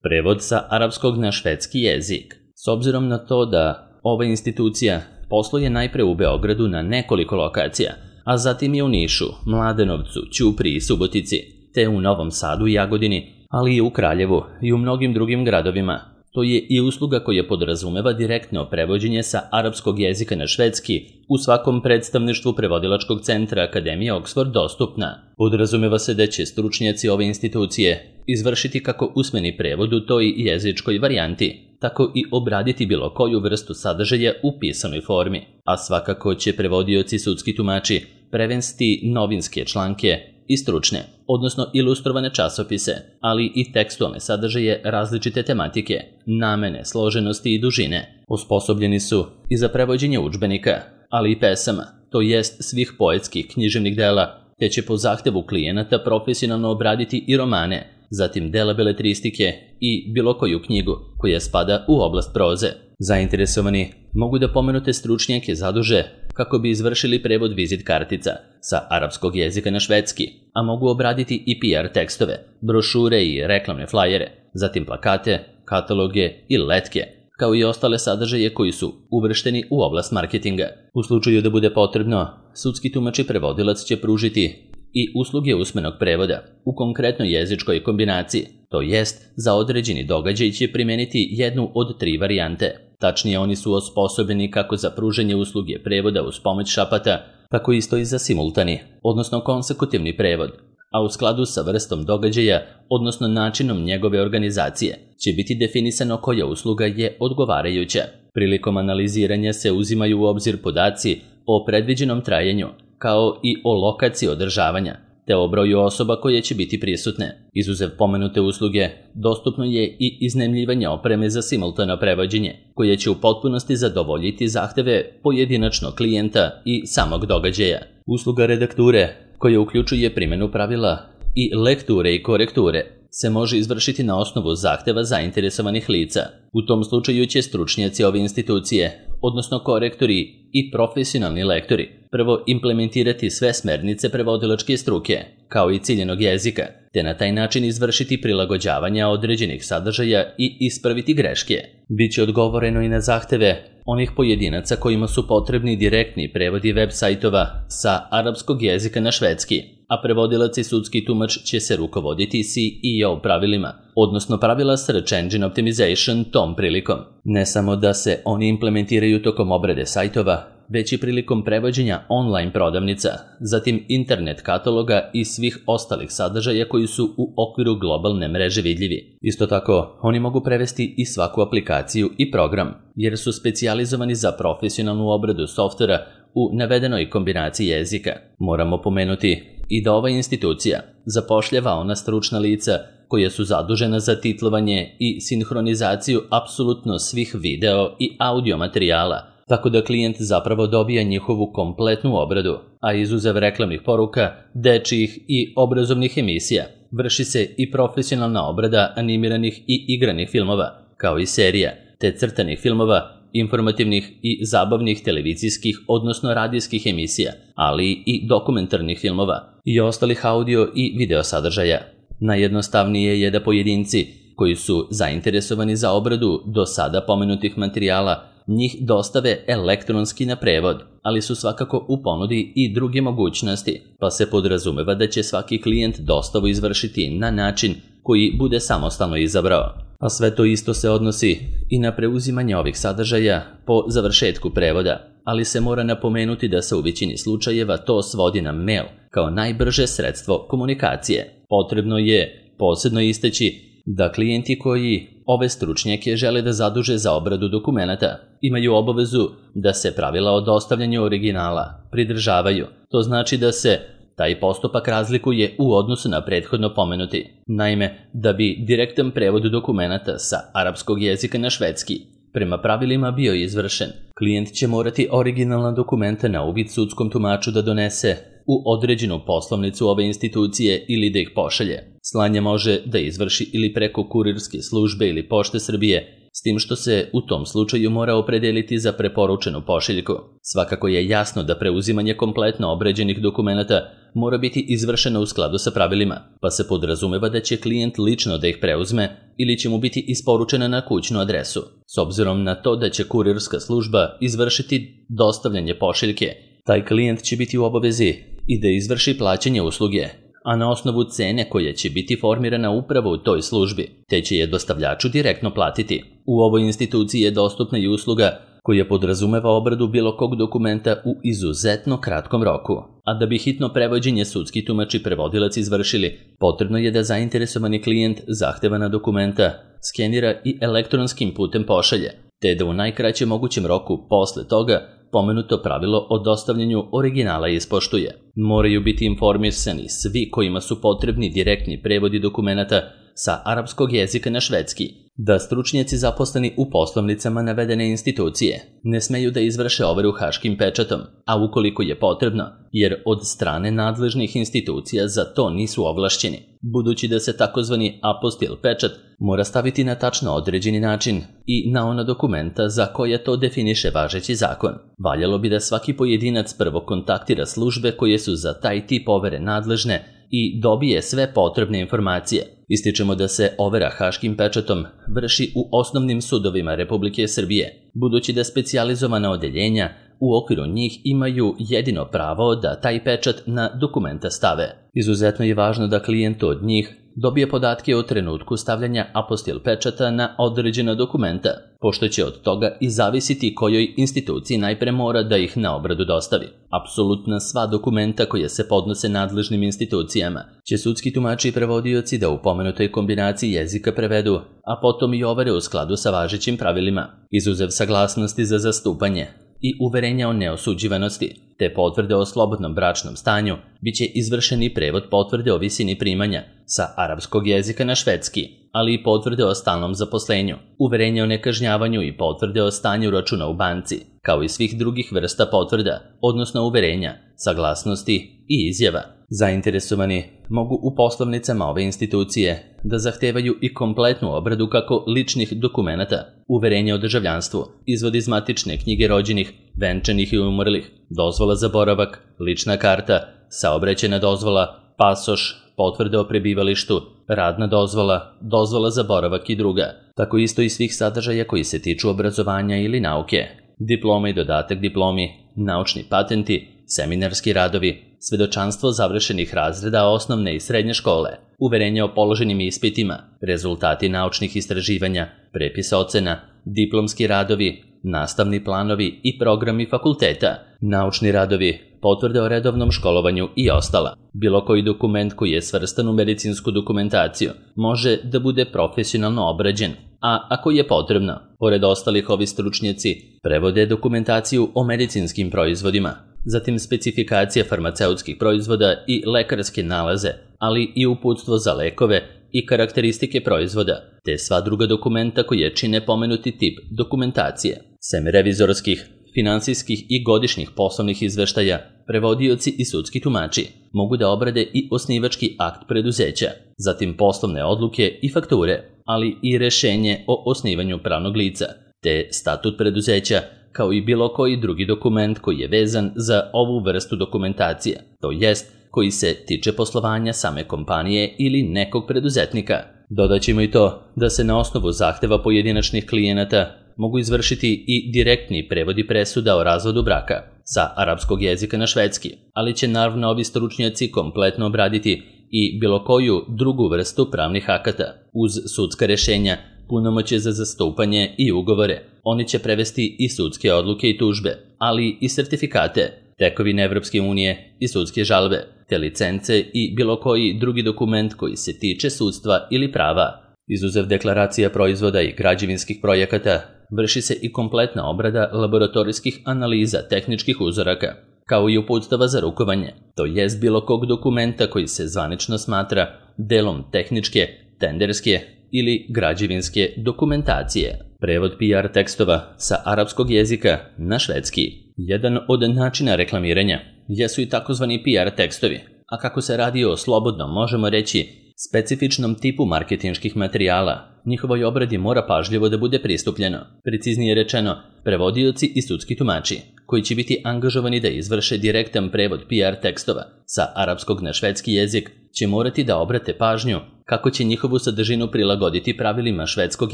Prevod sa arapskog na švedski jezik. S obzirom na to da ova institucija posluje najpre u Beogradu na nekoliko lokacija, a zatim je u Nišu, Mladenovcu, Ćupriji i Subotici, te u Novom Sadu i Jagodini, ali i u Kraljevu i u mnogim drugim gradovima. To je i usluga koja podrazumeva direktno prevođenje sa arapskog jezika na švedski u svakom predstavništvu prevodilačkog centra Akademije Oxford dostupna. Podrazumeva se da će stručnjaci ove institucije izvršiti kako usmeni prevod u toj jezičkoj varijanti, tako i obraditi bilo koju vrstu sadržaja u pisanoj formi, a svakako će prevodioci sudski tumači prevesti novinske članke i stručne, odnosno ilustrovane časopise, ali i tekstualne sadržaje različite tematike, namene, složenosti i dužine. Osposobljeni su i za prevođenje udžbenika, ali i pesama, to jest svih poetskih književnih dela, te će po zahtevu klijenata profesionalno obraditi i romane, zatim dela beletristike i bilo koju knjigu koja spada u oblast proze. Zainteresovani mogu da pomenute stručnjake zaduže kako bi izvršili prevod vizit kartica sa arapskog jezika na švedski, a mogu obraditi i PR tekstove, brošure i reklamne flajere, zatim plakate, kataloge i letke, kao i ostale sadržaje koji su uvršteni u oblast marketinga. U slučaju da bude potrebno, sudski tumač i prevodilac će pružiti i usluge usmenog prevoda u konkretnoj jezičkoj kombinaciji, to jest za određeni događaj će primeniti jednu od 3 varijante. Tačnije, oni su osposobljeni kako za pružanje usluge prevoda uz pomoć šapata, tako isto i za simultani, odnosno konsekutivni prevod, a u skladu sa vrstom događaja, odnosno načinom njegove organizacije, će biti definisano koja usluga je odgovarajuća. Prilikom analiziranja se uzimaju u obzir podaci o predviđenom trajanju, kao i o lokaciji održavanja, te o broju osoba koje će biti prisutne. Izuzev pomenute usluge, dostupno je i iznajmljivanje opreme za simultano prevođenje, koje će u potpunosti zadovoljiti zahteve pojedinačnog klijenta i samog događaja. Usluga redakture, koja uključuje primjenu pravila i lekture i korekture, se može izvršiti na osnovu zahteva zainteresovanih lica. U tom slučaju će stručnjaci ove institucije, odnosno korektori i profesionalni lektori, prvo implementirati sve smernice prevodilačke struke, kao i ciljenog jezika, te na taj način izvršiti prilagođavanja određenih sadržaja i ispraviti greške. Biće odgovoreno i na zahteve onih pojedinaca kojima su potrebni direktni prevodi web sajtova sa arapskog jezika na švedski, a prevodilac i sudski tumač će se rukovoditi SEO pravilima, odnosno pravila Search Engine Optimization tom prilikom. Ne samo da se oni implementiraju tokom obrade sajtova, već i prilikom prevođenja online prodavnica, zatim internet kataloga i svih ostalih sadržaja koji su u okviru globalne mreže vidljivi. Isto tako, oni mogu prevesti i svaku aplikaciju i program, jer su specijalizovani za profesionalnu obradu softvera u navedenoj kombinaciji jezika. Moramo pomenuti i da ova institucija zapošljava ona stručna lica koja su zadužena za titlovanje i sinhronizaciju apsolutno svih video i audio materijala, tako da klijent zapravo dobija njihovu kompletnu obradu, a izuzev reklamnih poruka, dečijih i obrazovnih emisija, vrši se i profesionalna obrada animiranih i igranih filmova, kao i serija, te crtanih filmova, informativnih i zabavnih televizijskih, odnosno radijskih emisija, ali i dokumentarnih filmova i ostalih audio i video sadržaja. Najjednostavnije je da pojedinci koji su zainteresovani za obradu do sada pomenutih materijala njih dostave elektronski na prevod, ali su svakako u ponudi i druge mogućnosti, pa se podrazumeva da će svaki klijent dostavu izvršiti na način koji bude samostalno izabrao. A sve to isto se odnosi i na preuzimanje ovih sadržaja po završetku prevoda, ali se mora napomenuti da se u većini slučajeva to svodi na mail kao najbrže sredstvo komunikacije. Potrebno je posebno istaći da klijenti koji ove stručnjake žele da zaduže za obradu dokumenata imaju obavezu da se pravila o dostavljanju originala pridržavaju. To znači da se taj postupak razlikuje u odnosu na prethodno pomenuti. Naime, da bi direktan prevod dokumenata sa arapskog jezika na švedski prema pravilima bio izvršen, klijent će morati originalna dokumenta na uvid sudskom tumaču da donese u određenu poslovnicu ove institucije ili da ih pošalje. Slanje može da izvrši ili preko kurirske službe ili pošte Srbije, s tim što se u tom slučaju mora opredeliti za preporučenu pošiljku. Svakako je jasno da preuzimanje kompletno obrađenih dokumenata mora biti izvršeno u skladu sa pravilima, pa se podrazumeva da će klijent lično da ih preuzme ili će mu biti isporučena na kućnu adresu. S obzirom na to da će kurirska služba izvršiti dostavljanje pošiljke, taj klijent će biti u obavezi i da izvrši plaćanje usluge, a na osnovu cene koja će biti formirana upravo u toj službi, te će je dostavljaču direktno platiti. U ovoj instituciji je dostupna i usluga koja podrazumeva obradu bilo kog dokumenta u izuzetno kratkom roku. A da bi hitno prevođenje sudski tumač i prevodilac izvršili, potrebno je da zainteresovani klijent zahtevana dokumenta skenira i elektronskim putem pošalje, te da u najkraćem mogućem roku posle toga pomenuto pravilo o dostavljanju originala ispoštuje. Moraju biti informisani svi kojima su potrebni direktni prevodi dokumenata sa arapskog jezika na švedski, da stručnjaci zaposleni u poslovnicama navedene institucije ne smeju da izvrše overu haškim pečatom, a ukoliko je potrebno, jer od strane nadležnih institucija za to nisu ovlašćeni, budući da se takozvani apostil pečat mora staviti na tačno određeni način i na ona dokumenta za koje to definiše važeći zakon. Valjalo bi da svaki pojedinac prvo kontaktira službe koje su za taj tip overe nadležne i dobije sve potrebne informacije. Ističemo da se overa haškim pečatom vrši u osnovnim sudovima Republike Srbije, budući da specijalizovana odeljenja u okviru njih imaju jedino pravo da taj pečat na dokumenta stave. Izuzetno je važno da klijent od njih dobije podatke o trenutku stavljanja apostil pečata na određena dokumenta, pošto će od toga i zavisiti kojoj instituciji najpre mora da ih na obradu dostavi. Apsolutno sva dokumenta koje se podnose nadležnim institucijama će sudski tumači i prevodioci da u pomenutoj kombinaciji jezika prevedu, a potom i overe u skladu sa važećim pravilima, izuzev saglasnosti za zastupanje i uverenja o neosuđivanosti, te potvrde o slobodnom bračnom stanju, bit će izvršeni prevod potvrde o visini primanja sa arapskog jezika na švedski, ali i potvrde o stalnom zaposlenju, uverenja o nekažnjavanju i potvrde o stanju računa u banci, kao i svih drugih vrsta potvrda, odnosno uverenja, saglasnosti i izjava. Zainteresovani mogu u poslovnicama ove institucije da zahtevaju i kompletnu obradu kako ličnih dokumenata, uverenja o državljanstvu, izvod iz matične knjige rođenih, venčanih i umrlih, dozvola za boravak, lična karta, saobraćajna dozvola, pasoš, potvrde o prebivalištu, radna dozvola, dozvola za boravak i druga, tako isto i svih sadržaja koji se tiču obrazovanja ili nauke, diploma i dodatak diplomi, naučni patenti, seminarski radovi, svedočanstvo završenih razreda osnovne i srednje škole, uverenja o položenim ispitima, rezultati naučnih istraživanja, prepis ocena, diplomski radovi, nastavni planovi i programi fakulteta, naučni radovi, potvrde o redovnom školovanju i ostala. Bilo koji dokument koji je svrstan u medicinsku dokumentaciju može da bude profesionalno obrađen, a ako je potrebno, pored ostalih ovi stručnjaci prevode dokumentaciju o medicinskim proizvodima, zatim specifikacije farmaceutskih proizvoda i lekarske nalaze, ali i uputstvo za lekove i karakteristike proizvoda, te sva druga dokumenta koje čine pomenuti tip dokumentacije. Sem revizorskih, finansijskih i godišnjih poslovnih izveštaja, prevodioci i sudski tumači mogu da obrade i osnivački akt preduzeća, zatim poslovne odluke i fakture, ali i rešenje o osnivanju pravnog lica, te statut preduzeća, kao i bilo koji drugi dokument koji je vezan za ovu vrstu dokumentacije, to jest koji se tiče poslovanja same kompanije ili nekog preduzetnika. Dodaćemo i to da se na osnovu zahteva pojedinačnih klijenata mogu izvršiti i direktni prevodi presuda o razvodu braka sa arapskog jezika na švedski, ali će naravno ovi stručnjaci kompletno obraditi i bilo koju drugu vrstu pravnih akata uz sudska rešenja, punomoćje za zastupanje i ugovore. Oni će prevesti i sudske odluke i tužbe, ali i sertifikate, tekovine Evropske unije i sudske žalbe, te licence i bilo koji drugi dokument koji se tiče sudstva ili prava. Izuzev deklaracija proizvoda i građevinskih projekata, vrši se i kompletna obrada laboratorijskih analiza tehničkih uzoraka, kao i uputstava za rukovanje, to jest bilo kog dokumenta koji se zvanično smatra delom tehničke, tenderske ili građevinske dokumentacije. Prevod PR tekstova sa arapskog jezika na švedski. Jedan od načina reklamiranja jesu i takozvani PR tekstovi, a kako se radi o slobodnom, možemo reći, specifičnom tipu marketinških materijala. Njihovoj obradi mora pažljivo da bude pristupljeno. Preciznije rečeno, prevodioci i sudski tumači, koji će biti angažovani da izvrše direktan prevod PR tekstova sa arapskog na švedski jezik, će morati da obrate pažnju kako će njihovu sadržinu prilagoditi pravilima švedskog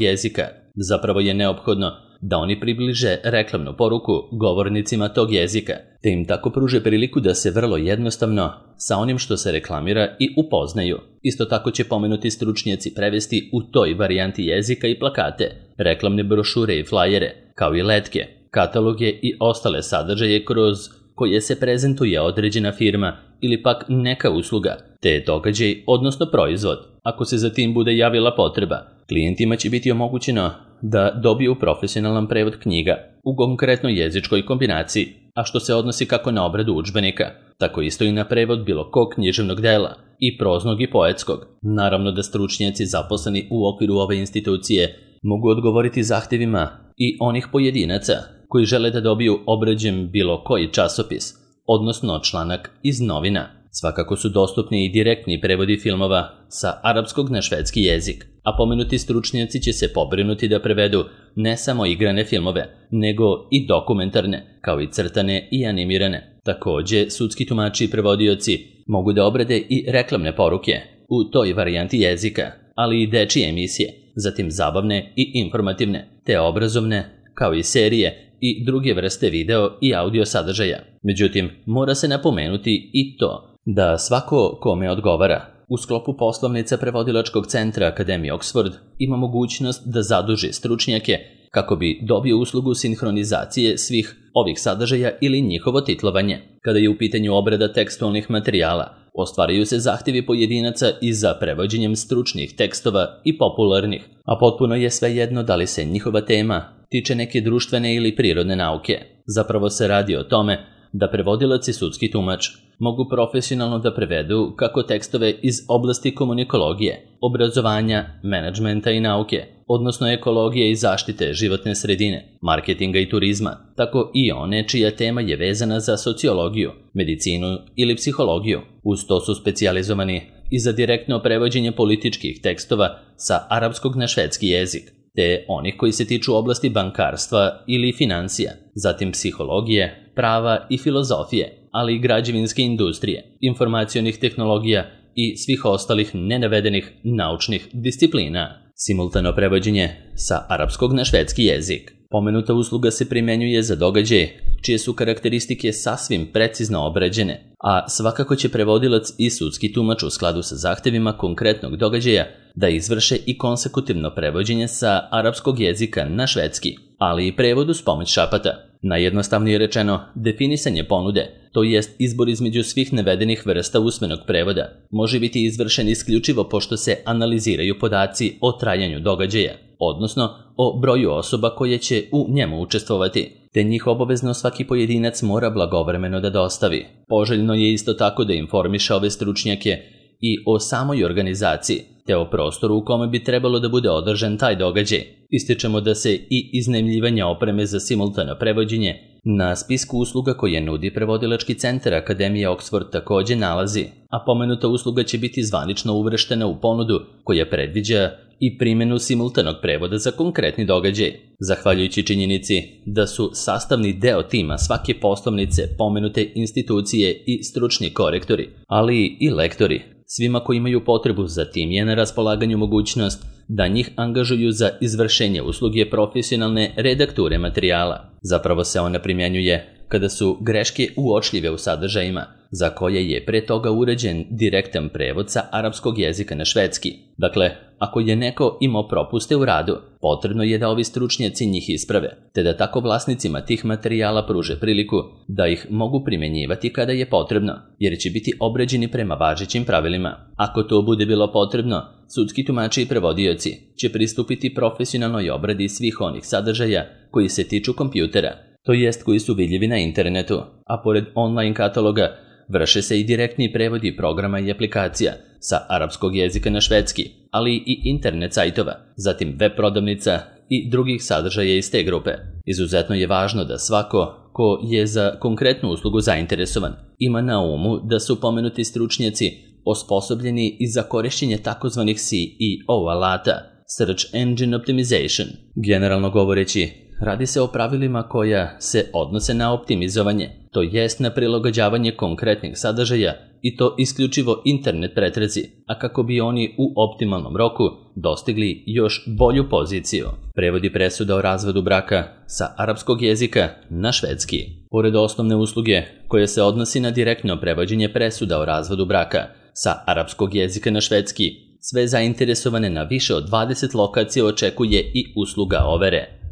jezika. Zapravo je neophodno da oni približe reklamnu poruku govornicima tog jezika, te im tako pruže priliku da se vrlo jednostavno sa onim što se reklamira i upoznaju. Isto tako će pomenuti stručnjaci prevesti u toj varijanti jezika i plakate, reklamne brošure i flajere, kao i letke, kataloge i ostale sadržaje kroz koje se prezentuje određena firma ili pak neka usluga, te događaj, odnosno proizvod. Ako se za tim bude javila potreba, klijentima će biti omogućeno da dobiju profesionalan prevod knjiga u konkretnoj jezičkoj kombinaciji, a što se odnosi kako na obradu udžbenika, tako isto i na prevod bilo kog književnog dela, i proznog i poetskog. Naravno da stručnjaci zaposleni u okviru ove institucije mogu odgovoriti zahtjevima i onih pojedinaca koji žele da dobiju obrađen bilo koji časopis, odnosno članak iz novina. Svakako su dostupni i direktni prevodi filmova sa arapskog na švedski jezik, a pomenuti stručnjaci će se pobrinuti da prevedu ne samo igrane filmove, nego i dokumentarne, kao i crtane i animirane. Takođe, sudski tumači i prevodioci mogu da obrade i reklamne poruke u toj varijanti jezika, ali i dečije emisije, zatim zabavne i informativne, te obrazovne, kao i serije i druge vrste video i audio sadržaja. Međutim, mora se napomenuti i to da svako kome odgovara u sklopu poslovnica prevodilačkog centra Akademije Oxford ima mogućnost da zaduži stručnjake kako bi dobio uslugu sinhronizacije svih ovih sadržaja ili njihovo titlovanje. Kada je u pitanju obrada tekstualnih materijala, ostvaraju se zahtjevi pojedinaca i za prevođenjem stručnih tekstova i popularnih, a potpuno je svejedno da li se njihova tema tiče neke društvene ili prirodne nauke. Zapravo se radi o tome da prevodilac i sudski tumač mogu profesionalno da prevedu kako tekstove iz oblasti komunikologije, obrazovanja, menadžmenta i nauke, odnosno ekologije i zaštite životne sredine, marketinga i turizma, tako i one čija tema je vezana za sociologiju, medicinu ili psihologiju. Uz to su specijalizovani i za direktno prevođenje političkih tekstova sa arapskog na švedski jezik, te onih koji se tiču oblasti bankarstva ili financija, zatim psihologije, prava i filozofije, ali i građevinske industrije, informacionih tehnologija i svih ostalih nenavedenih naučnih disciplina. Simultano prevođenje sa arapskog na švedski jezik. Pomenuta usluga se primenjuje za događaje čije su karakteristike sasvim precizno obrađene, a svakako će prevodilac i sudski tumač u skladu sa zahtevima konkretnog događaja da izvrše i konsekutivno prevođenje sa arapskog jezika na švedski, ali i prevod uz pomoć šapata. Najjednostavnije rečeno, definisanje ponude, to jest izbor između svih navedenih vrsta usmenog prevoda, može biti izvršen isključivo pošto se analiziraju podaci o trajanju događaja, odnosno o broju osoba koje će u njemu učestvovati, te njih obavezno svaki pojedinac mora blagovremeno da dostavi. Poželjno je isto tako da informiše ove stručnjake i o samoj organizaciji, te o prostoru u kome bi trebalo da bude održan taj događaj. Ističemo da se i iznajmljivanje opreme za simultano prevođenje na spisku usluga koje nudi prevodilački centar Akademije Oxford takođe nalazi, a pomenuta usluga će biti zvanično uvrštena u ponudu koja predviđa i primjenu simultanog prevoda za konkretni događaj. Zahvaljujući činjenici da su sastavni deo tima svake poslovnice pomenute institucije i stručni korektori, ali i lektori, svima koji imaju potrebu za tim je na raspolaganju mogućnost da njih angažuju za izvršenje usluge profesionalne redakture materijala. Zapravo se ona primjenjuje kada su greške uočljive u sadržajima, za koje je pre toga urađen direktan prevod sa arapskog jezika na švedski. Dakle, ako je neko imao propuste u radu, potrebno je da ovi stručnjaci njih isprave, te da tako vlasnicima tih materijala pruže priliku da ih mogu primjenjivati kada je potrebno, jer će biti obrađeni prema važećim pravilima. Ako to bude bilo potrebno, sudski tumači i prevodioci će pristupiti profesionalnoj obradi svih onih sadržaja koji se tiču kompjutera, to jest koji su vidljivi na internetu, a pored online kataloga vrše se i direktni prevodi programa i aplikacija sa arapskog jezika na švedski, ali i internet sajtova, zatim web prodavnica i drugih sadržaja iz te grupe. Izuzetno je važno da svako ko je za konkretnu uslugu zainteresovan ima na umu da su pomenuti stručnjaci osposobljeni i za korišćenje takozvanih SEO alata, Search Engine Optimization. Generalno govoreći, radi se o pravilima koja se odnose na optimizovanje, to jest na prilagođavanje konkretnih sadržaja i to isključivo internet pretrazi, a kako bi oni u optimalnom roku dostigli još bolju poziciju. Prevodi presuda o razvodu braka sa arapskog jezika na švedski. Pored osnovne usluge koja se odnosi na direktno prevođenje presuda o razvodu braka sa arapskog jezika na švedski, sve zainteresovane na više od 20 lokacija očekuje i usluga overe.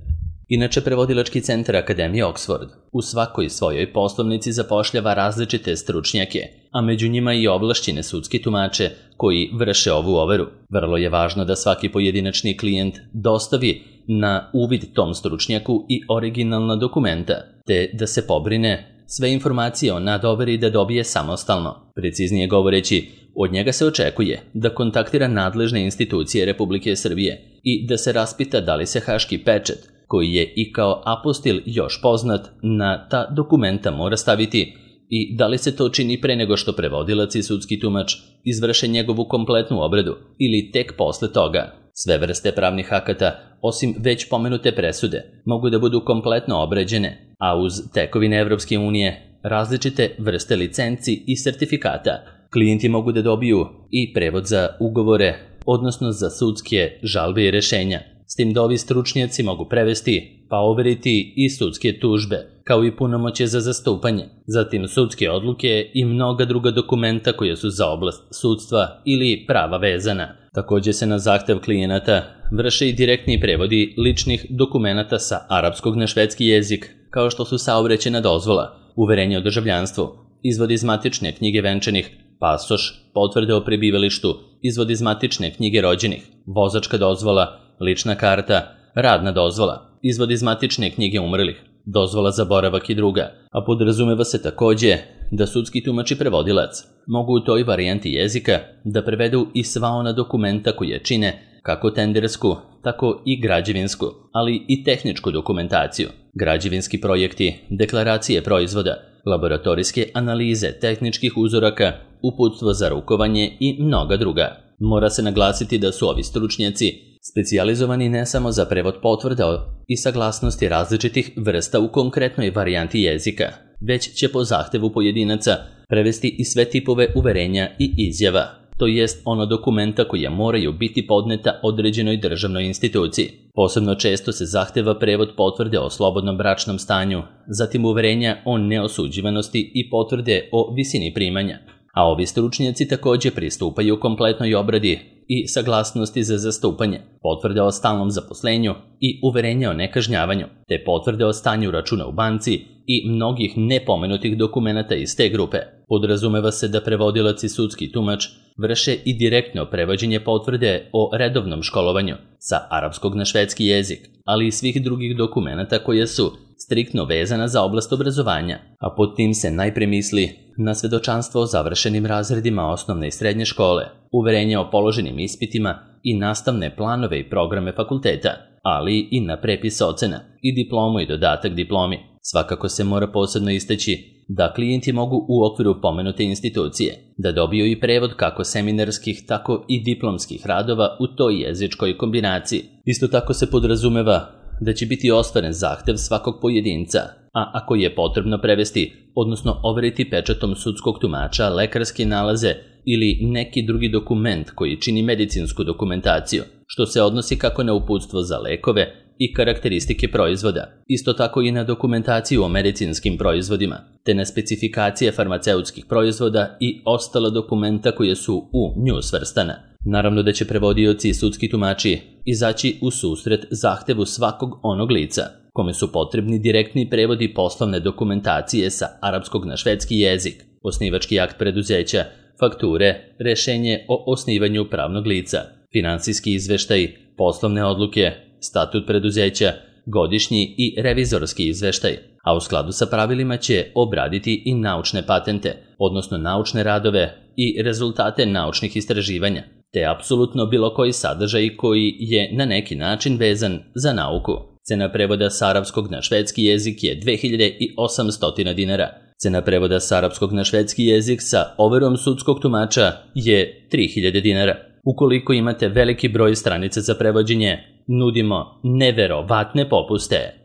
Inače, prevodilački centar Akademije Oxford u svakoj svojoj poslovnici zapošljava različite stručnjake, a među njima i ovlašćene sudske tumače koji vrše ovu overu. Vrlo je važno da svaki pojedinačni klijent dostavi na uvid tom stručnjaku i originalna dokumenta, te da se pobrine sve informacije o nadoveri da dobije samostalno. Preciznije govoreći, od njega se očekuje da kontaktira nadležne institucije Republike Srbije i da se raspita da li se haški pečat, koji je i kao apostil još poznat, na ta dokumenta mora staviti i da li se to čini pre nego što prevodilac i sudski tumač izvrše njegovu kompletnu obradu ili tek posle toga. Sve vrste pravnih akata, osim već pomenute presude, mogu da budu kompletno obrađene, a uz tekovine Evropske unije različite vrste licenci i sertifikata. Klijenti mogu da dobiju i prevod za ugovore, odnosno za sudske žalbe i rešenja, s tim da ovi stručnjaci mogu prevesti pa overiti i sudske tužbe, kao i punomoćje za zastupanje, zatim sudske odluke i mnoga druga dokumenta koja su za oblast sudstva ili prava vezana. Također se na zahtev klijenata vrše i direktni prevodi ličnih dokumenata sa arapskog na švedski jezik, kao što su saobraćajna dozvola, uverenje o državljanstvu, izvod iz matične knjige venčanih, pasoš, potvrde o prebivalištu, izvod iz matične knjige rođenih, vozačka dozvola, lična karta, radna dozvola, izvod iz matične knjige umrlih, dozvola za boravak i druga, a podrazumeva se također da sudski tumač i prevodilac mogu u toj varijanti jezika da prevedu i sva ona dokumenta koje čine kako tendersku, tako i građevinsku, ali i tehničku dokumentaciju, građevinski projekti, deklaracije proizvoda, laboratorijske analize tehničkih uzoraka, uputstvo za rukovanje i mnoga druga. Mora se naglasiti da su ovi stručnjaci specijalizovani ne samo za prevod potvrda i saglasnosti različitih vrsta u konkretnoj varijanti jezika, već će po zahtevu pojedinaca prevesti i sve tipove uverenja i izjava, to jest ono dokumenta koja moraju biti podneta određenoj državnoj instituciji. Posebno često se zahteva prevod potvrde o slobodnom bračnom stanju, zatim uverenja o neosuđivanosti i potvrde o visini primanja. A ovi stručnjaci također pristupaju kompletnoj obradi i saglasnosti za zastupanje, potvrde o stalnom zaposlenju i uverenja o nekažnjavanju, te potvrde o stanju računa u banci i mnogih nepomenutih dokumenata iz te grupe. Podrazumeva se da prevodilac i sudski tumač vrše i direktno prevođenje potvrde o redovnom školovanju sa arapskog na švedski jezik, ali i svih drugih dokumenata koje su striktno vezana za oblast obrazovanja, a pod tim se najpre misli na svedočanstvo o završenim razredima osnovne i srednje škole, uverenje o položenim ispitima i nastavne planove i programe fakulteta, ali i na prepis ocena i diplomu i dodatak diplomi. Svakako se mora posebno istaći da klijenti mogu u okviru pomenute institucije da dobiju i prevod kako seminarskih, tako i diplomskih radova u toj jezičkoj kombinaciji. Isto tako se podrazumeva da će biti ostvaren zahtev svakog pojedinca, a ako je potrebno prevesti, odnosno overiti pečatom sudskog tumača lekarske nalaze ili neki drugi dokument koji čini medicinsku dokumentaciju, što se odnosi kako na uputstvo za lekove i karakteristike proizvoda, isto tako i na dokumentaciju o medicinskim proizvodima, te na specifikacije farmaceutskih proizvoda i ostala dokumenta koje su u nju svrstana. Naravno da će prevodioci i sudski tumači izaći u susret zahtevu svakog onog lica, kome su potrebni direktni prevodi poslovne dokumentacije sa arapskog na švedski jezik, osnivački akt preduzeća, fakture, rešenje o osnivanju pravnog lica, finansijski izveštaj, poslovne odluke, statut preduzeća, godišnji i revizorski izveštaj, a u skladu sa pravilima će obraditi i naučne patente, odnosno naučne radove i rezultate naučnih istraživanja, te apsolutno bilo koji sadržaj koji je na neki način vezan za nauku. Cena prevoda sa arapskog na švedski jezik je 2800 dinara. Cena prevoda s arapskog na švedski jezik sa overom sudskog tumača je 3000 dinara. Ukoliko imate veliki broj stranica za prevođenje, nudimo neverovatne popuste.